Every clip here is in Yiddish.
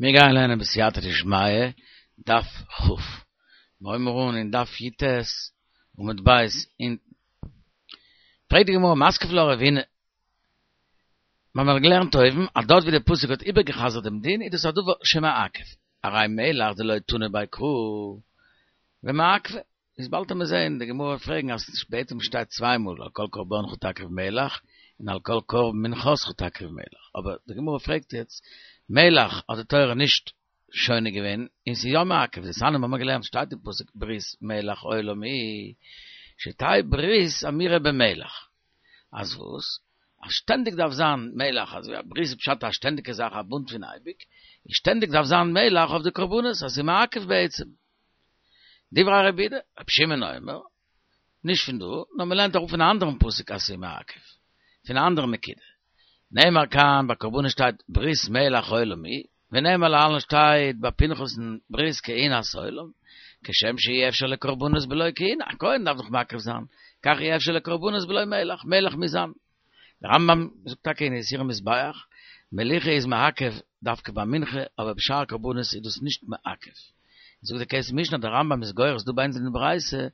מיר גייען לערנען בסייעתא דשמיא, דף כ'. מיר הויבן אן אין דף י"ט עמוד ב' אונטן. פרעגט די גמרא מתקיף לה רבינא. מיר האבן געלערנט אויבן אז דארט ווי דער פסוק האט איבערגע'חזר'ט דעם דין איז דאס א דבר שמעכב. הרי מלח דלא תנא ביה קרא ומעכבא. איז באלד וועט מען זעהן די גמרא וועט פרעגן אז בעצם שטייט צוויי מאל על כל קרבנך תקריב מלח און על כל קרבן מנחתך תקריב מלח, אבער די גמרא פרעגט יעצט מלח האט די תורה נישט שונה געווען און ס'איז יא מעכב, דתניא מ'האמיר געלערנט שטייט אין פסוק ברית מלח עולם היא שתהא ברית אמורה במלח אז וואס? אז שטענדיג דארף זיין מלח, אזוי א ברית איז פשט א שטענדיגע זאך א בונד פון אייביג, און שטענדיג דארף זיין מלח אויף די קרבנות אז ס'איז מעכב בעצם. דברי רבי יהודה, רבי שמעון אומר, נישט פון דא, נאר מען לערנט אראפ פון א אנדערן פסוק אז ס'איז מעכב, פון א אנדערן נקודה. נאמר כאן ביי קרבנות שטייט ברית מלח עולם היא, ונאמר להלן שטייט ביי פנחס'ן ברית כהונת עולם, כשם שאי אפשר לקרבנות בלא כהונה, א כהן דארף דאך מקריב זיין, כך אי אפשר לקרבנות בלא מלח, מלח מוז זיין. דער רמב"ם זאגט טאקע אין איסורי מזבח, מליחה איז מעכב דווקא ביי מנחה, אבער בשאר קרבנות איז דאס נישט מעכב. זאגט דער כסף משנה אז דער רמב"ם איז גורס דא ביי אונז אין די ברייתא,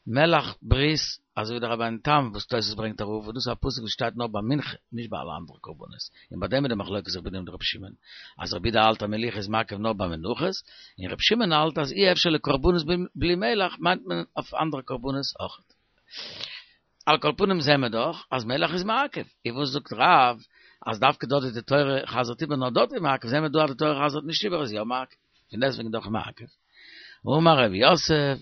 מלח ברית, אזוי ווי דער רבינו תם וואס תוס' ברענגט אראפ, וואס דאס איז א פסוק וואס שטייט נאר ביי מנחה, נישט ביי אלע אנדערע קרבנות, און ביי דעם איז די מחלוקת רבי יהודה מיט רבי שמעון, אז רבי יהודה האלט אז מליחה איז מעכב נאר ביי מנחות, און רבי שמעון האלט אז אי אפשר לקרבנות בלי מלח מיינט מען אויף אנדערע קרבנות אויכעט. על כל פנים זעהן מיר דאך אז מלח איז מעכב, און וואס זאגט רב אז דווקא דארט ווי די תורה חזר'ט איבער נאר דארט איז מעכב, זעהן מיר דא אז די תורה חזר'ט נישט איבער איז יא מעכב, פון דעסטוועגן דאך מעכב. אמר רב יוסף,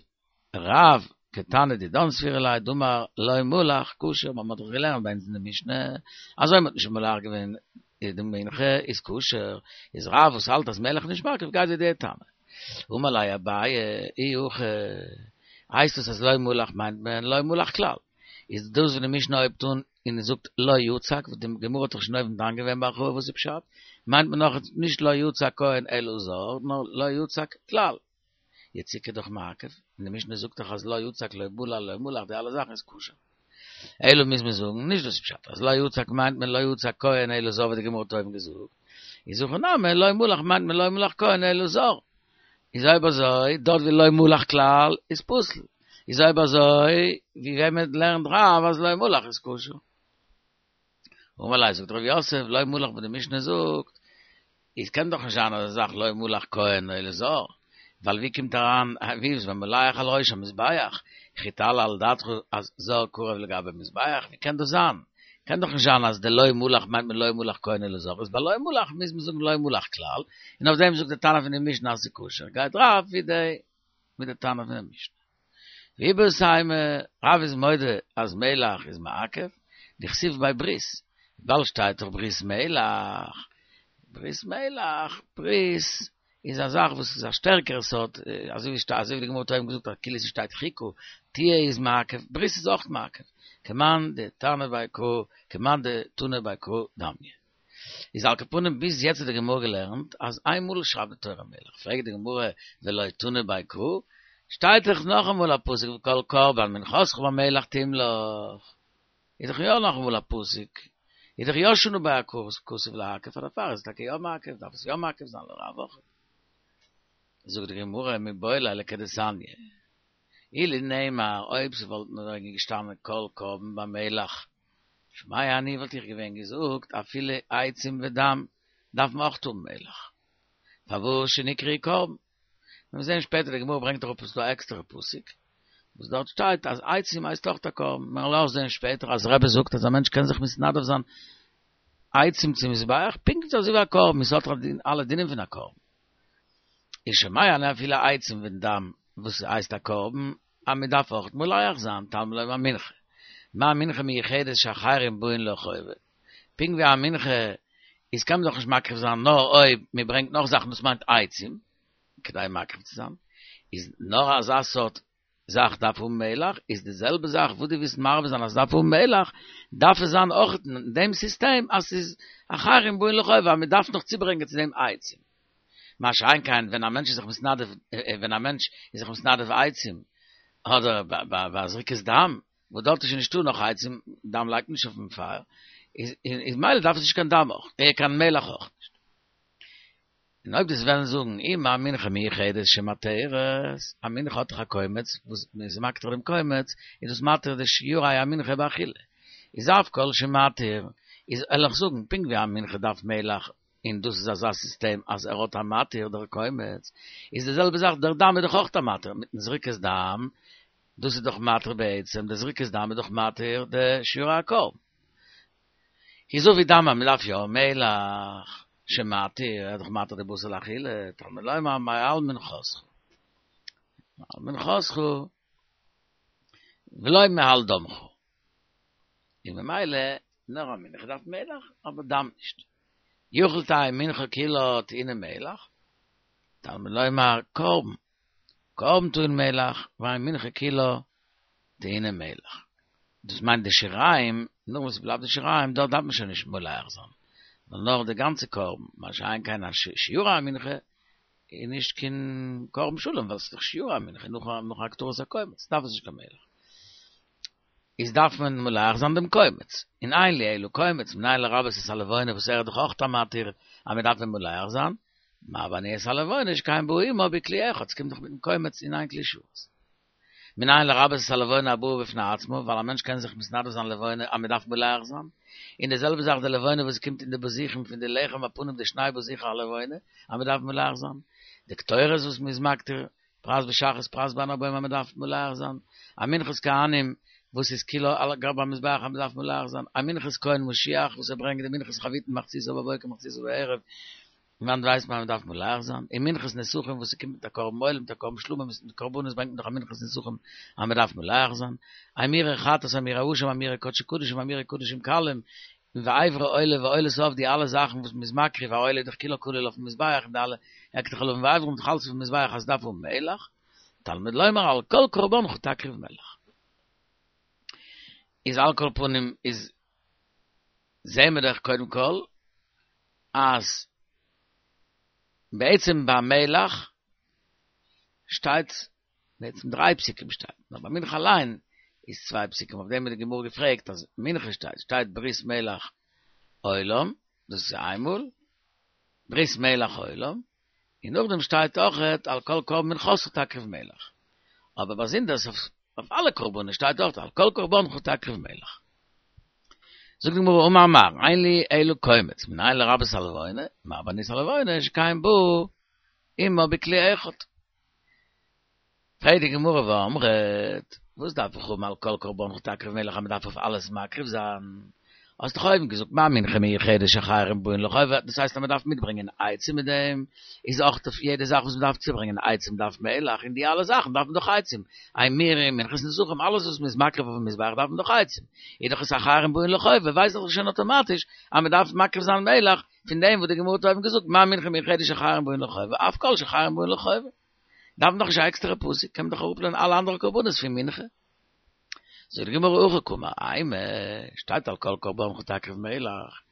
רב כתנא דידן סבירא ליה דאמר לא מלח כשר, מ'האט דאך געלערנט ביי אונז אין די משנה אז אויב מ'האט נישט מולח געווען די מנחה איז כשר, איז רב וואס האלט אז מלח נישט מעכב גייט ווי די תנא. אמר ליה אביי, אי הכי, הייסט עס אז לא מלח מיינט מען לא מלח כלל. איז דאס וואס די משנה הויבט אן און זאגט לא יצק, וואס די גמרא האט דאך שוין אויבן דן געווען בהרחבה וואס איז פשט, מיינט מען נאך נישט לא יצק כהן אלא זר, נאר לא יצק כלל. יציקה דאך מעכב, און די משנה זאגט דאך אז לא יצק לא בלל לא מלח די אלע זאכן איז כשר. אלא מוז מען זאגן, נישט דאס איז פשט, אז לא יצק מיינט מען לא יצק כהן אלא זר ווי די גמרא האט אויבן געזאגט, איז הכא נמי לא מלח מיינט מען לא מלח כהן אלא זר. איז אויב אזוי, דארט ווי לא מלח כלל איז פסול. איז אויב אזוי, ווי וועמען לערנט רב אז לא מלח איז כשר? אמר ליה זאגט רב יוסף, לא מלח וואס די משנה זאגט, איז קען דאך נישט זיין אזא זאך לא מלח כהן אלא זר, ווייל ווי קומט אריין ווי איז והמולח על ראש המזבח, וכי תעלה על דעתך אז זר קרב לגבי מזבח, ווי קען דאס זיין? קען דאך נישט זיין אז די לא מלח מיינט מען לא מלח כהן אלא זר, איז ביי לא מלח מוז מען זאגן לא מלח כלל, און אויף דעם זאגט די תנא פון די משנה אז ס'איז כשר, גייט רב ווי די ווי די תנא פון די משנה. ואיבעית אימא, רב איז מודה אז מלח איז מעכב, דכתיב ביה ברית, ווייל שטייט דאך ברית מלח, ברית מלח, ברית איז א זאך וואס איז א שטערקערע סארט, אזוי ווי אזוי ווי די גמרא האט אויבן געזאגט אז כאילו ס'שטייט חוקה, תהיה איז מעכב, ברית איז אויך מעכב, כמאן דתנא ביה קרא, כמאן דתנא ביה קרא דמיא. איז על כל פנים ביז יעצט האט די גמרא געלערנט אז איינמאל שרייבט די תורה מלח, פרעגט די גמרא ולא תנא ביה קרא, שטייט דאך נאכאמאל א פסוק וכל קרבן מנחתך במלח תמלח, איז דאך יא נאכאמאל א פסוק, איז דאך יא שנה ביה הכתוב לעכב, פאר דערפאר איז עס טאקע יא מעכב, דארף עס יא מעכב זיין לרב אויך. זאגט די גמרא מיבעי ליה לכדתניא, אילו נאמר אויב ס'וואלט נאר געשטאנען כל קרבן במלח שומע אני וואלט איך געווען געזאגט אפילו עצים ודם דארף מען אויך האבן מלח פארוואס שנקראו קרבן מיר זעהן שפעטער די גמרא ברענגט אראפ עס איז דא א עקסטערע פסוק וואס דארט שטייט אז עצים הייסט אויך א קרבן מיר וועלן אויך זעהן שפעטער אז רבי זאגט אז א מענטש קען זיך מתנדב זיין עצים צום מזבח פונקט אזוי ווי א קרבן עס האט אלע דינים פון א קרבן איז שומע אני אפילו עצים ודם וואס הייסט א קרבן אז מען דארף אויך מולח זיין תלמוד לומר מנחה, מה מנחה מיוחדת שאחרים באין לה חובה, פונקט ווי א מנחה איז קען מען דאך נישט מקריב זיין נאר אויב מען ברענגט נאך זאכן דאס מיינט עצים כדי מקריב צו זיין, איז נאר אזא סארט זאך דארף האבן מלח, איז די זעלבע זאך וואס דו ווילסט מרבה זיין אז עס דארף האבן מלח, דארף עס זיין אויך אין דעם סיסטעם אז ס'איז אחרים באין לה חובה אז מען דארף נאך צוברענגען צו דעם עצים. מה שאין כן ווען א מענטש איז זיך מתנדב ווען א מענטש איז זיך מתנדב עצים, אדער ביי זריקת דם, וואס דארט איז שוין נישטא נאך עצים, דם לייגט מען נישט אויפן פייער, איז מילא דארף עס נישט קיין דם אויך, קיין מלח אויך נישט. און אויב דו'סט וועלן זאגן אי מה מנחה מיוחדת שמתרת, א מנחה האט דאך א קומץ, וואס מען איז מקטיר דעם קומץ, איז דאס מתיר די שיורי המנחה באכילה. איז אף כל שמתיר, איז וועל איך זאגן, פונקט ווי א מנחה דארף מלח, און דאס איז אזא סיסטעם אז ער האט א מתיר דער קומץ, איז די זעלבע זאך דער דם איז דאך אויך א מתיר, מיטן זריקת דם, דאס איז דאך מתיר בעצם, די זריקת דם איז דאך מתיר די שיורי הקרבן. איז אביא דם אז מ'דארף יא מלח שמתיר, ער איז דאך מתיר די בשר לאכילה, תלמוד לומר מעל מנחתך, מעל מנחתך ולא מעל דמך, און ממילא נאר א מנחה דארף מלח אבער דם נישט, יכול תהא מנחה כולה טעונה מלח, תלמוד לומר קרבן, קרבן טעון מלח, ואין מנחה כולה טעונה מלח. דאס מיינט די שיריים, נאך וואס ס'בלייבט די שיריים, דארט דארף מען שוין נישט מולח זיין, נאר נאר די גאנצע קרבן, מה שאין כן א שיורי המנחה איז נישט קיין קרבן שלם, ווייל ס'איז דאך שיורי המנחה נאך נאך הקטרת הקומץ, דארף עס נישט קיין מלח. איז דארף מען מולח זיין דעם קומץ, און אין לי אלא קומץ, מנין לרבות את הלבונה וואס ער איז דאך אויך א מתיר אז מען דארף אים מולח זיין, מה ואני את הלבונה שכן בא עמה בכלי אחד, ס'קומט דאך מיטן קומץ אין איין כלי שרת. מנין לרבות את הלבונה הבאה בפני עצמה, ווייל א מענטש קען זיך מתנדב זיין לבונה אז מען דארף מולח זיין, און די זעלבע זאך די לבונה וואס קומט אין די בזיכים פון די לחם הפנים די שני בזיכי הלבונה אז מען דארף מולח זיין, די קטורת וואס מען איז מקטיר פרס בשחרית פרס בין הערבים אז מען דארף מולח זיין, א מנחת כהנים וואס איז כולה על גבי המזבח אז מען דארף מולח זיין, א מנחת כהן משיח וואס ער ברענגט די מנחת חביתין מחציתה בבוקר מחציתה בערב, פון וואנעט ווייסט מען אז מען דארף מולח זיין? און מנחת נסכים וואס ס'קומט מיט א קרבן עולה מיט א קרבן שלמים מיט די קרבנות ברענגט מען דאך א מנחת נסכים אז מען דארף מולח זיין, אימורי חטאת אימורי אשם אימורי קדשי קדשים אימורי קדשים קלים, און ואיברי עולה ועולת העוף די אלע זאכן וואס מען איז מקריב א עולה איז דאך כולה כליל אויפן מזבח און די אלע הקטר חלבים ואיברים דאך אלס אויפן מזבח אז ס'דארף האבן מלח, תלמוד לומר על כל קרבנך תקריב מלח. איז על כל פנים איז זעהן מיר דאך קודם כל אז בעצם ביי מלח שטייט בעצם דריי פסוקים שטייט, נאר ביי מנחה אליין איז צוויי פסוקים, אויף דעם האט די גמרא געפרעגט אז מנחה שטייט, שטייט ברית מלח עולם, דאס איז איינמאל, ברית מלח עולם, און נאכדעם שטייט אויכעט על כל קרבן מנחתך תקריב מלח, אבער באזונדערס אויף אלע קרבנות שטייט אויך על כל קרבנך תקריב מלח. זאגט די גמרא אמר מר, אין לי אלא קומץ, מנין לרבות הלבונה, מרבה אני את הלבונה, שכן בא עמה בכלי אחד. פרעגט די גמרא ואמרת, וואס דארף איך האבן על כל קרבנך תקריב מלח אז מען דארף אויף אלעס מקריב זיין? האסט דאך אויבן געזאגט מה מנחה מיוחדת שאחרים באין לחובה, דאס הייסט אז מען דארף מיטברענגען עצים מיט דעם, איז אויך אויף יעדע זאך וואס מען דארף צוברענגען עצים דארף מלח, און די אלע זאכן דארף מען דאך עצים, אימורים, מנחת נסכים, אלעס וואס מען איז מקריב אויפן מזבח דארף מען דאך עצים, איז דאך עס אחרים באין לחובה, ווייס איך דאך שוין אטאמאטיש אז מען דארף מקריב זיין מלח, פון דעם וואס די גמרא האט אויבן געזאגט מה מנחה מיוחדת שאחרים באין לחובה, אף כל שאחרים באין לחובה. דארף מען דאך נישט א עקסטערע פסוק, קען מען דאך אראפלערנען אלע אנדערע קרבנות פון מנחה. זאגט די גמרא הכי קאמר, אימא, שטייט על כל קרבנך תקריב מלח,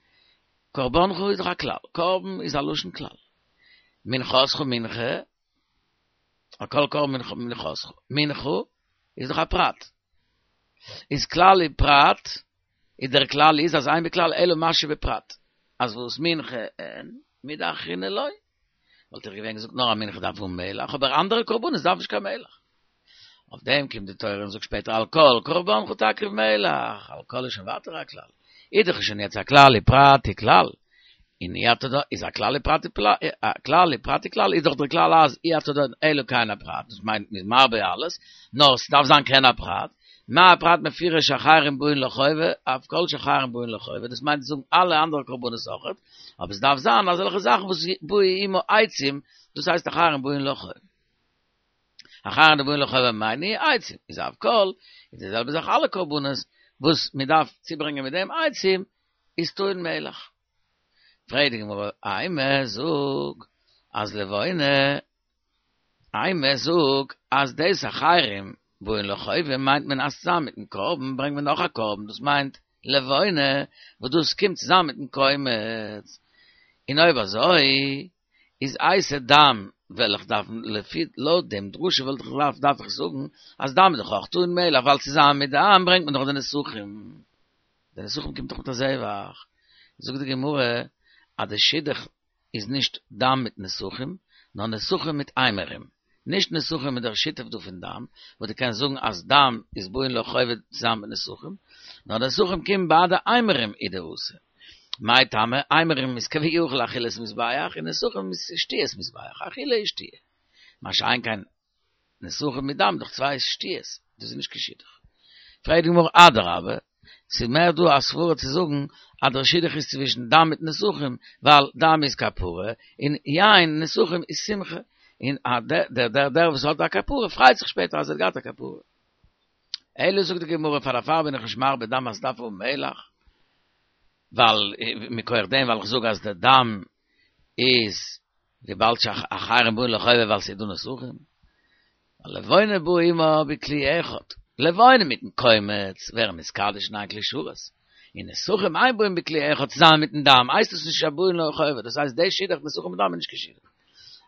קרבנך איז דאך א כלל, קרבן איז א לשון כלל, מנחתך מנחה, על כל קרבן מנחתך, מנחה איז דאך א פרט, איז כלל ופרט, איז דער כלל איז אז אין בכלל אלא מה שבפרט, אז וואס מנחה אין, מידי אחרינא לא. וואלט איך געווען געזאגט נאר א מנחה דארף האבן מלח, אבער אנדערע קרבנות דארף נישט קיין מלח. אויף דעם קומט די תורה און זאגט שפעטער על כל קרבנך תקריב מלח, על כל איז שוין ווייטער א כלל. איז דאך שוין יעצט א כלל ופרט וכלל. און אי אתה דן איז א כלל ופרט א כלל ופרט וכלל איז דאך דער כלל אז אי אתה דן אלא כעין הפרט, דאס מיינט מ'איז מרבה אלעס, נאר ס'דארף זיין כעין הפרט, מה הפרט מפורש שאחרים באין לחובה, אף כל שאחרים באין לחובה, דאס מיינט צו זאגן אלע אנדערע קרבנות אויכעט, אבער עס דארף זיין אזעלכע זאכן וואס באו עמו עצים, דאס הייסט אחרים באין לחובה. אחרים דבאין לחובה מאי ניהו עצים, איז אף כל, איז די זעלבע זאך אלע קרבנות וואס מען דארף צוברענגען מיט דעם עצים, איז טעון מלח. פרעגט די גמרא, אימא זאג אז לבונה אימא זאג אז דאס אחרים באין לחובה מיינט מען אז צוזאמען מיטן קרבן ברענגט מען נאך א קרבן דאס מיינט לבונה וואס דאס קומט צוזאמען מיטן קומץ און אויב אזוי איז אייתי דם וועל איך דארפן לפי לויט דעם דרשה וואלט איך געדארפט דארף איך זאגן אז דם איז דאך אויך טעון מלח ווייל צוזאמען מיט דם ברענגט מען דאך די נסכים די נסכים קומט דאך מיט א זבח זאגט די גמרא אז די שידוך. איז נישט דם מיט נסכים, נאר נסכים מיט אימורים. נישט נסכים מיט דער שיתוף דא פון דם, וואס דו קענסט זאגן אז דם איז באין לחובה צוזאמען מיט נסכים, נאר נסכים קומט בהדי אימורים הוא דאתא. מאי טעמא, אימורים איז כביכול אכילת מזבח, און נסכים איז שתיית מזבח, אכילה און שתיה. מה שאין כן נסכים מיט דם דאך צוויי שתיות, דאס איז נישט קיין שידוך. פרעגט די גמרא אדרבה, ס'איז מער דא א סברה צו זאגן אז דער שידוך איז צווישן דם מיט נסכים, ווייל דם איז כפרה, און יין נסכים איז שמחה, און דער דער דער וואס האט א כפרה פרייט זיך שפעטער אז ער האט געהאט א כפרה. אלא זאגט די גמרא פאר דערפאר בין איך נישט מרבה דם אז ס'דארף האבן מלח, ווייל מכח דעם ווייל איך זאג אז דער דם איז וויבאלד שאחרים באין לחובה ווייל ס'איז דא נסכים. לבונה באה עמה בכלי אחד, לבונה מיטן קומץ ווערן נתקדש אין איין כלי שרת, און נסכים אין באים בכלי אחד צוזאמען מיטן דם הייסט עס נישט שבאין לחובה, דאס הייסט די שידוך נסכים מיט דם איז נישט קיין שידוך.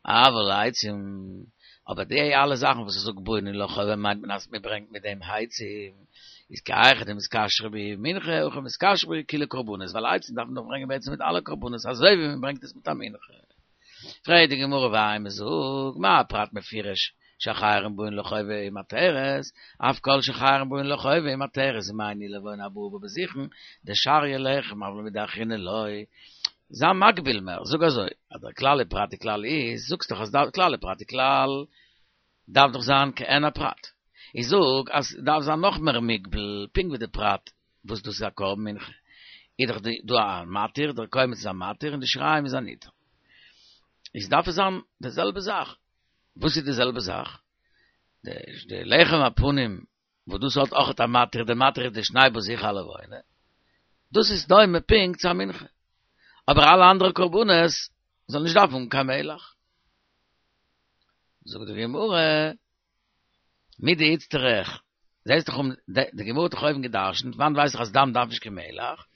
אבל עצים, אבער די אלע זאכן וואס איך זאג באין לחובה מיינט מען אז מען ברענגט מיט דעם העצים, איז כי היכי דמתכשרי בהו מנחה הכי מתכשרי בהו כולהו קרבנות, ווייל עצים דארף מען דאך ברענגען בעצם מיט אלע קרבנות אזוי ווי מען ברענגט עס מיט א מנחה. פרעגט די גמרא ואימא זאג, מה הפרט מפורש שאחרים באין לחובה ומתרת, אף כל שאחרים באין לחובה ומתרת, ומאי ניהו לבונה הבאה בה בזיכין, דשריא לחם אבל מידי אחרינא לא. זיי מגביל מער, זאג אזוי, אז דער כלל ופרט וכלל איז, זאגסט דאך אז דער כלל ופרט וכלל דארף דאך זיין כעין הפרט. איך זאג אז ס'דארף זיין נאך מער מוגבל, פונקט ווי די פרט וואס דאס איז א קרבן מנחה, איז דאך דא א מתיר, דער קומץ איז א מתיר און די שיריים איז א ניתר. איז דארף עס זיין די זעלבע זאך. וואס איז די זעלבע זאך? די לחם הפנים וואס דאס האט אויכעט א מתיר, די מתיר איז די שני בזיכי הלבונה, דאס איז דומה פונקט צו א מנחה. אבער אלע אנדערע קרבנות זאלן נישט דארפן האבן קיין מלח. זאגט די גמרא, מדאיצטריך, זעסט דאך אום, די גמרא האט דאך אויבן גע'דרש'נט, וואנעט ווייס איך אז דם דארף נישט קיין מלח?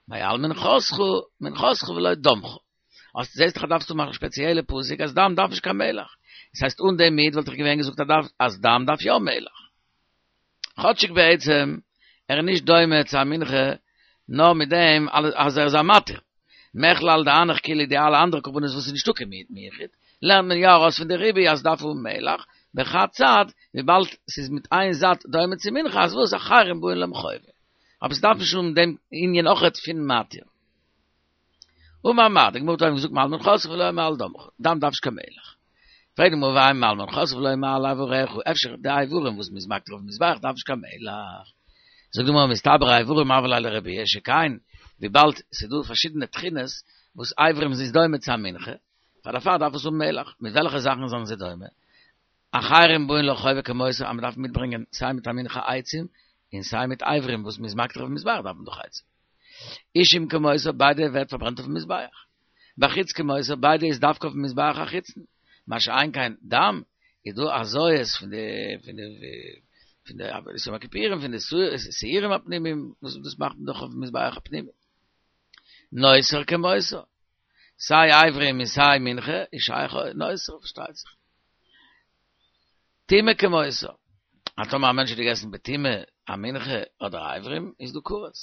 מעל מנחתך, מנחתך ולא דמך. אז זעסט דאך אז דארפסטו מאכן שפעציעלע פסוק אז דם דארף נישט קיין מלח. דאס הייסט אן דעם מיד וואלט איך געווען געזאגט אז דארף אז דם דארף יא מלח. כאטשיג בעצם ער איז נישט דומה צו א מנחה נאר מיט דעם אז ער איז א מתיר. מכלל דהנך כולהו די אלע אנדערע קרבנות וואס איז נישטא קיין מיעוט מיוחד, לערנט מען יא ארויס פון די ריבוי אז דארף האבן מלח, בחד צד, וויבאלד ס'איז מיט איין זייט דומה צו מנחה אז וואס אחרים באין למחובה. אבער ס'דארף נישט האבן דעם ענין אויכעט פון מתיר. אמר מר, די גמרא האט אויבן געזאגט מעל מנחתך ולא מעל דמך, דם דארף נישט קיין מלח. פרעגט די גמרא ואימא מעל מנחתך ולא מעל אבריך, אפשר די איברים וואס מ'איז מקטיר אויפן מזבח דארף נישט קיין מלח. זאגט די גמרא מסתברא איברים הוה ליה לרבויי, שכן וויבאלד ס'איז דא פארשידענע תכונות וואס איברים איז דומה צו א מנחה, פאר דערפאר דארף עס האבן מלח. מיט וועלכע זאכן זענען זיי דומה? אחרים באין לחובה כמותו אז מ'דארף מיטברענגען סיי מיט א מנחה עצים און סיי מיט איברים וואס מ'איז מקטיר אויפן מזבח דארף מען דאך עצים. אישים כמותו ביידע ווערט פארברענט אויפן מזבח. בחיץ כמותו ביידע איז דווקא אויפן מזבח החיצון. מה שאין כן דם איז דא הזיות פון די פון די פון די עבודת יום הכיפורים פון די שעירים הפנימיים וואס דאס מאכט מען דאך אויפן מזבח הפנימי. נותר כמותו. סיי אברים און סיי מנחה איז שייך נותר פארשטייט זיך. טומאה כמותו. אז טאמער א מענטש האט געגעסן בטומאה א מנחה אדער אברים איז דא כרת.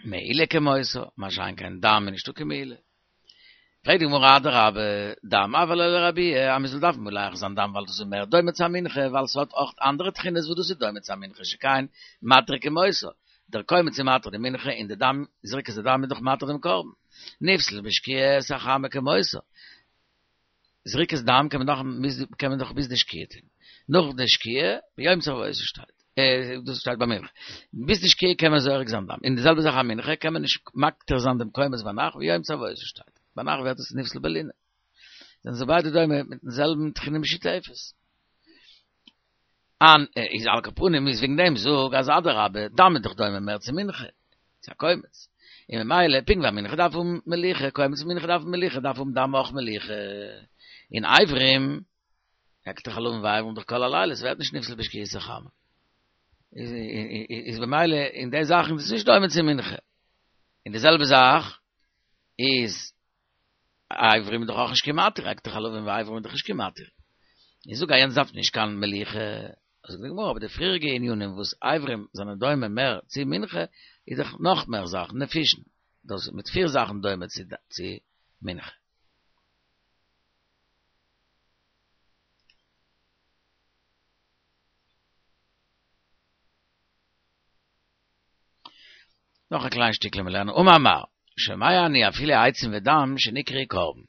מעילה כמותו, מה שאין כן דם איז נישטא קיין מעילה. פרעגט די גמרא אדרבה, דם הוה ליה לרבויי, אז מ'זאל דארפן מולח זיין דם ווייל דאס איז מער דומה צו א מנחה, ווייל ס'האט אויך אנדערע תכונות וואס דאס איז דומה צו א מנחה שכן מתיר כמותו, דער קומץ איז מתיר די מנחה און די דם, זריקת הדם איז דאך מתיר דעם קרבן. נפסל בשקיעת החמה כמותו. זריקת דם קען מען דאך קען מען דאך ביז די שקיעה טון. נאך די שקיעה, ביום צוואתו שטייט. דאס שטייט ביי מנחה. ביז די שקיעה קען מען זורק זיין דם. און די זעלבע זאך א מנחה קען מען נישט מקטיר זיין דעם קומץ ביינאכט ביום צוואתו שטייט. ביינאכט ווערט עס נפסל בלינה. זענען זיי ביידע דומה מיטן זעלבן תכונה משותפת. אן איז על כל פנים איז וועגן דעם זאג אז אדרבה דם איז דאך דומה מער צו מנחה, צו א קומץ, און ממילא פונקט ווי א מנחה דארף האבן מליחה, קומץ מנחה דארף האבן מליחה, דארף האבן דם אויך מליחה, און אברים, הקטר חלבים ואברים דאך כל הלילה, ס'ווערט נישט נפסל בשקיעת החמה. איז במילא אין די זאכן איז עס נישט דומה צו מנחה. און די זעלבע זאך איז אברים איז דאך אויך נישט קיין מתיר, הקטר חלבים ואברים איז דאך נישט קיין מתיר. איך זאג אז יענץ דארף נישט קיין מליחה, זאגט די גמרא, אבער די פריעריגע ענינים וואס אברים זענען דומה מער צו מנחה, איז דאך נאך מער זאכן, נפישין, דאס איז מיט פיר זאכן דומה צו מנחה. נאך א קליין שטיקל מיר לערנען אמר מר, שומע אני אפילו עצים ודם שנקראו קרבן.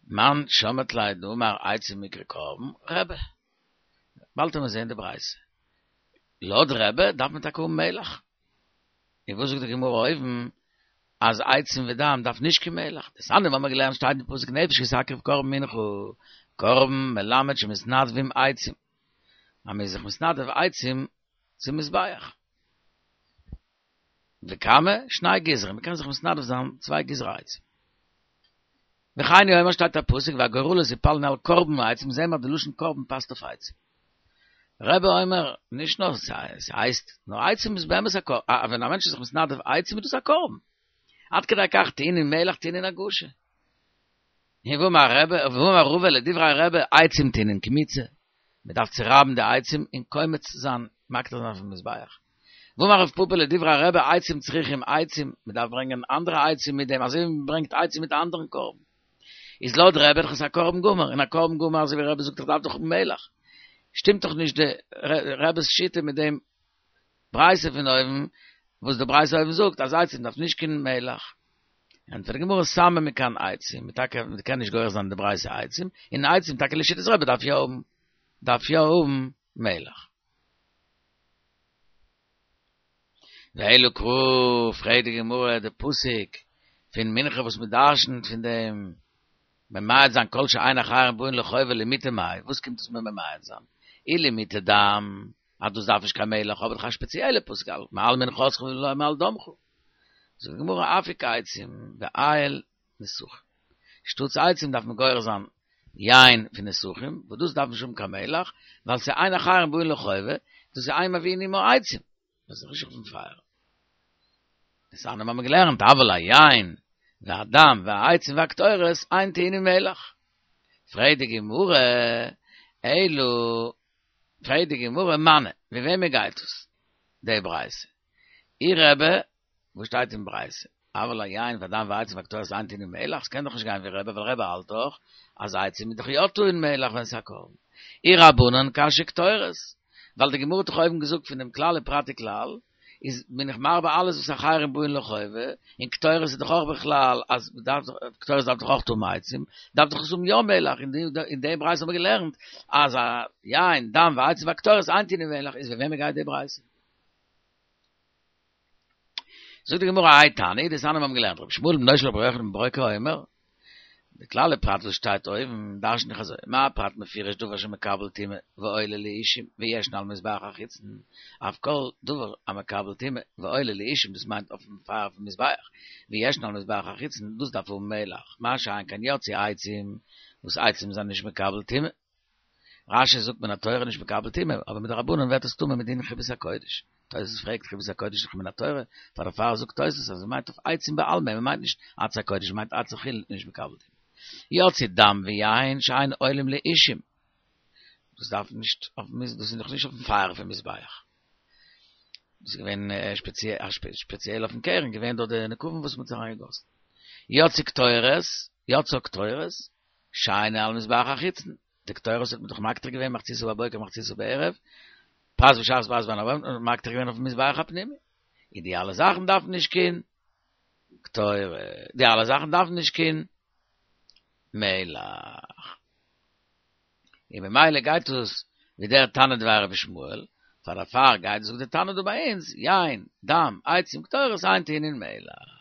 מאן שמעת ליה דאמר עצים מיקרי קרבן, רבי. באלד וועט מען זעהן די ברייתא. לויט רבי דארף מען טאקע האבן מלח. און וואס זאגט די גמרא אויבן אז עצים ודם דארף נישט קיין מלח? דתניא האבן מיר געלערנט שטייט אין פסוק נפש כי תקריב קרבן מנחה, קרבן מלמד שמתנדבים עצים. אז מען איז זיך מתנדב עצים צום מזבח. וכמה? שני גזרים, מען קען זיך מתנדב זיין צוויי גזרי עצים. וכן הוא אומר שטייט א פסוק והגורלות יפלון על קרבן העצים, זעהן מיר אז די לשון קרבן פאסט אויף עצים. רבי אומר, נישט נאר ס'הייסט, נאר עצים איז באמת א קרבן, ווען א מענטש איז זיך מתנדב עצים איז דאס א קרבן. עד כדי כך טעונין מלח טעונין הגשה. און ואמר רבי, ואמר רבא לדברי רבי עצים טעונין קמיצה, מען דארף צורייבן די עצים און קומץ זיין, מקטיר זיין אויפן מזבח. ואמר רב פפא לדברי רבי עצים צריכים עצים, מען דארף ברענגען אנדערע עצים מיט דעם, אזוי ווי מען ברענגט עצים מיט א אנדערן קרבן. איז לויט רבי דאך עס א קרבן גמור, און א קרבן גמור אזוי ווי רבי זאגט דאך דארף דאך האבן מלח. שטימט דאך נישט די רבי'ס שיטה מיט דעם ברייתא פון אויבן, וואס די ברייתא אויבן זאגט אז עצים דארף נישט קיין מלח. ענטפערט די גמרא סמא מכאן עצים, מ'טאקע מ'קען נישט גורס זיין די ברייתא עצים, און עצים טאקע לשיטת רבי דארף יא האבן דארף יא האבן מלח. ואלא קרא, פרעגט די גמרא די פסוק פון מנחה וואס מ'דרשנ'ט פון דעם ממעט זיין כל שאין אחרים באין לחובה למעוטי מאי, וואס קומט עס מיר ממעט זיין? אי למעוטי דם, אז דאס דארף נישט קיין מלח, האב איך דאך א שפעציעלע פסוק מעל מנחתך ולא מעל דמך. זאגט די גמרא אפיק עצים ואייל נסכים. שטאטס עצים דארף מען גורס זיין יין פון נסכים, וואס דאס דארף נישט האבן קיין מלח, ווייל ס'איז אין אחרים באין לחובה, דאס איז אין מביאין עמה עצים, דאס איז נישט אויפן פייער. דתניא האבן מיר געלערנט אבל היין והדם והעצים והקטורת אין טעונין מלח. פרעגט די גמרא, אלא פרעגט די גמרא מני, ווי וועמען גייט עס די ברייתא? אי רבי, וואס שטייט אין ברייתא? אבל היין והדם והעצים והקטורת אין טעונין מלח, ס'קען דאך נישט גיין ווי רבי, ווייל רבי האלט דאך אז עצים איז דאך יא טעון מלח ווען ס'איז א קרבן. אי רבנן קשיא קטורת, ווייל די גמרא האט דאך אויבן געזאגט פון דעם כלל ופרט וכלל, איז בין איך מרבה אלעס וואס אחרים באין לחובה, און קטורת איז דאך אויך בכלל אז מ'דארף דאך, קטורת דארף דאך אויך האבן עצים, דארף דאך עס האבן יא מלח, אין די ברייתא האבן מיר געלערנט אז א יין, דם ועצים והקטורת אין טעונין מלח, איז ווי וועמען גייט די ברייתא? זאגט די גמרא האי תנא, דתניא מיר האבן געלערנט רבי ישמעאל בנו של רבי יוחנן בן ברוקה אומר, די כלל ופרט וואס שטייט אויבן דרש'ן איך אזוי, מה הפרט מפורש דבר שמקבל טומאה ועולה לאישים וישנו על מזבח החיצון, אף כל דבר המקבל טומאה ועולה לאישים דאס מיינט אויפן פייער פון מזבח, וישנו על מזבח החיצון דאס דארף האבן מלח, מה שאין כן יצאו עצים וואס עצים זענען נישט מקבל טומאה. רש"י זאגט מן התורה נישט מקבל טומאה, אבער מדרבנן ווערט עס טמא מדין חיבת הקודש. תוס' פרעגט חיבת הקודש איז דאך מן התורה, פאר דערפאר זאגט תוס' אז מ'מיינט אויף עצים בעלמא, מ'מיינט נישט עצי הקודש, מ'מיינט עצי חולין נישט מקבל טומאה. יצאו דם ויין שאין עולים לאישים. דאס דארף נישט אויפן מז דאס איז דאך נישט אויפן פייער פון מזבח. דאס איז געווען שפעציעל אויפן קרן, געווען דארט די נקבים וואס מ'האט אריינגעגאסן. יצאו קטורת, יצאה קטורת, שאינה על מזבח החיצון, די קטורת האט מען דאך מקטיר געווען מחציתה בבוקר מחציתה בערב, פרס בשחרית ופרס בין הערבים, און מקטיר געווען אויפן מזבח הפנימי. און די אלע זאכן דארפן נישט קיין קטורת, די אלע זאכן דארפן נישט קיין מלח. און ממילא גייט עס ווי דער תנא דבי רבי ישמעאל, פאר דערפאר גייט זאגט דער תנא דא ביי אונז, יין, דם, עצים, קטורת, אין טעונין מלח.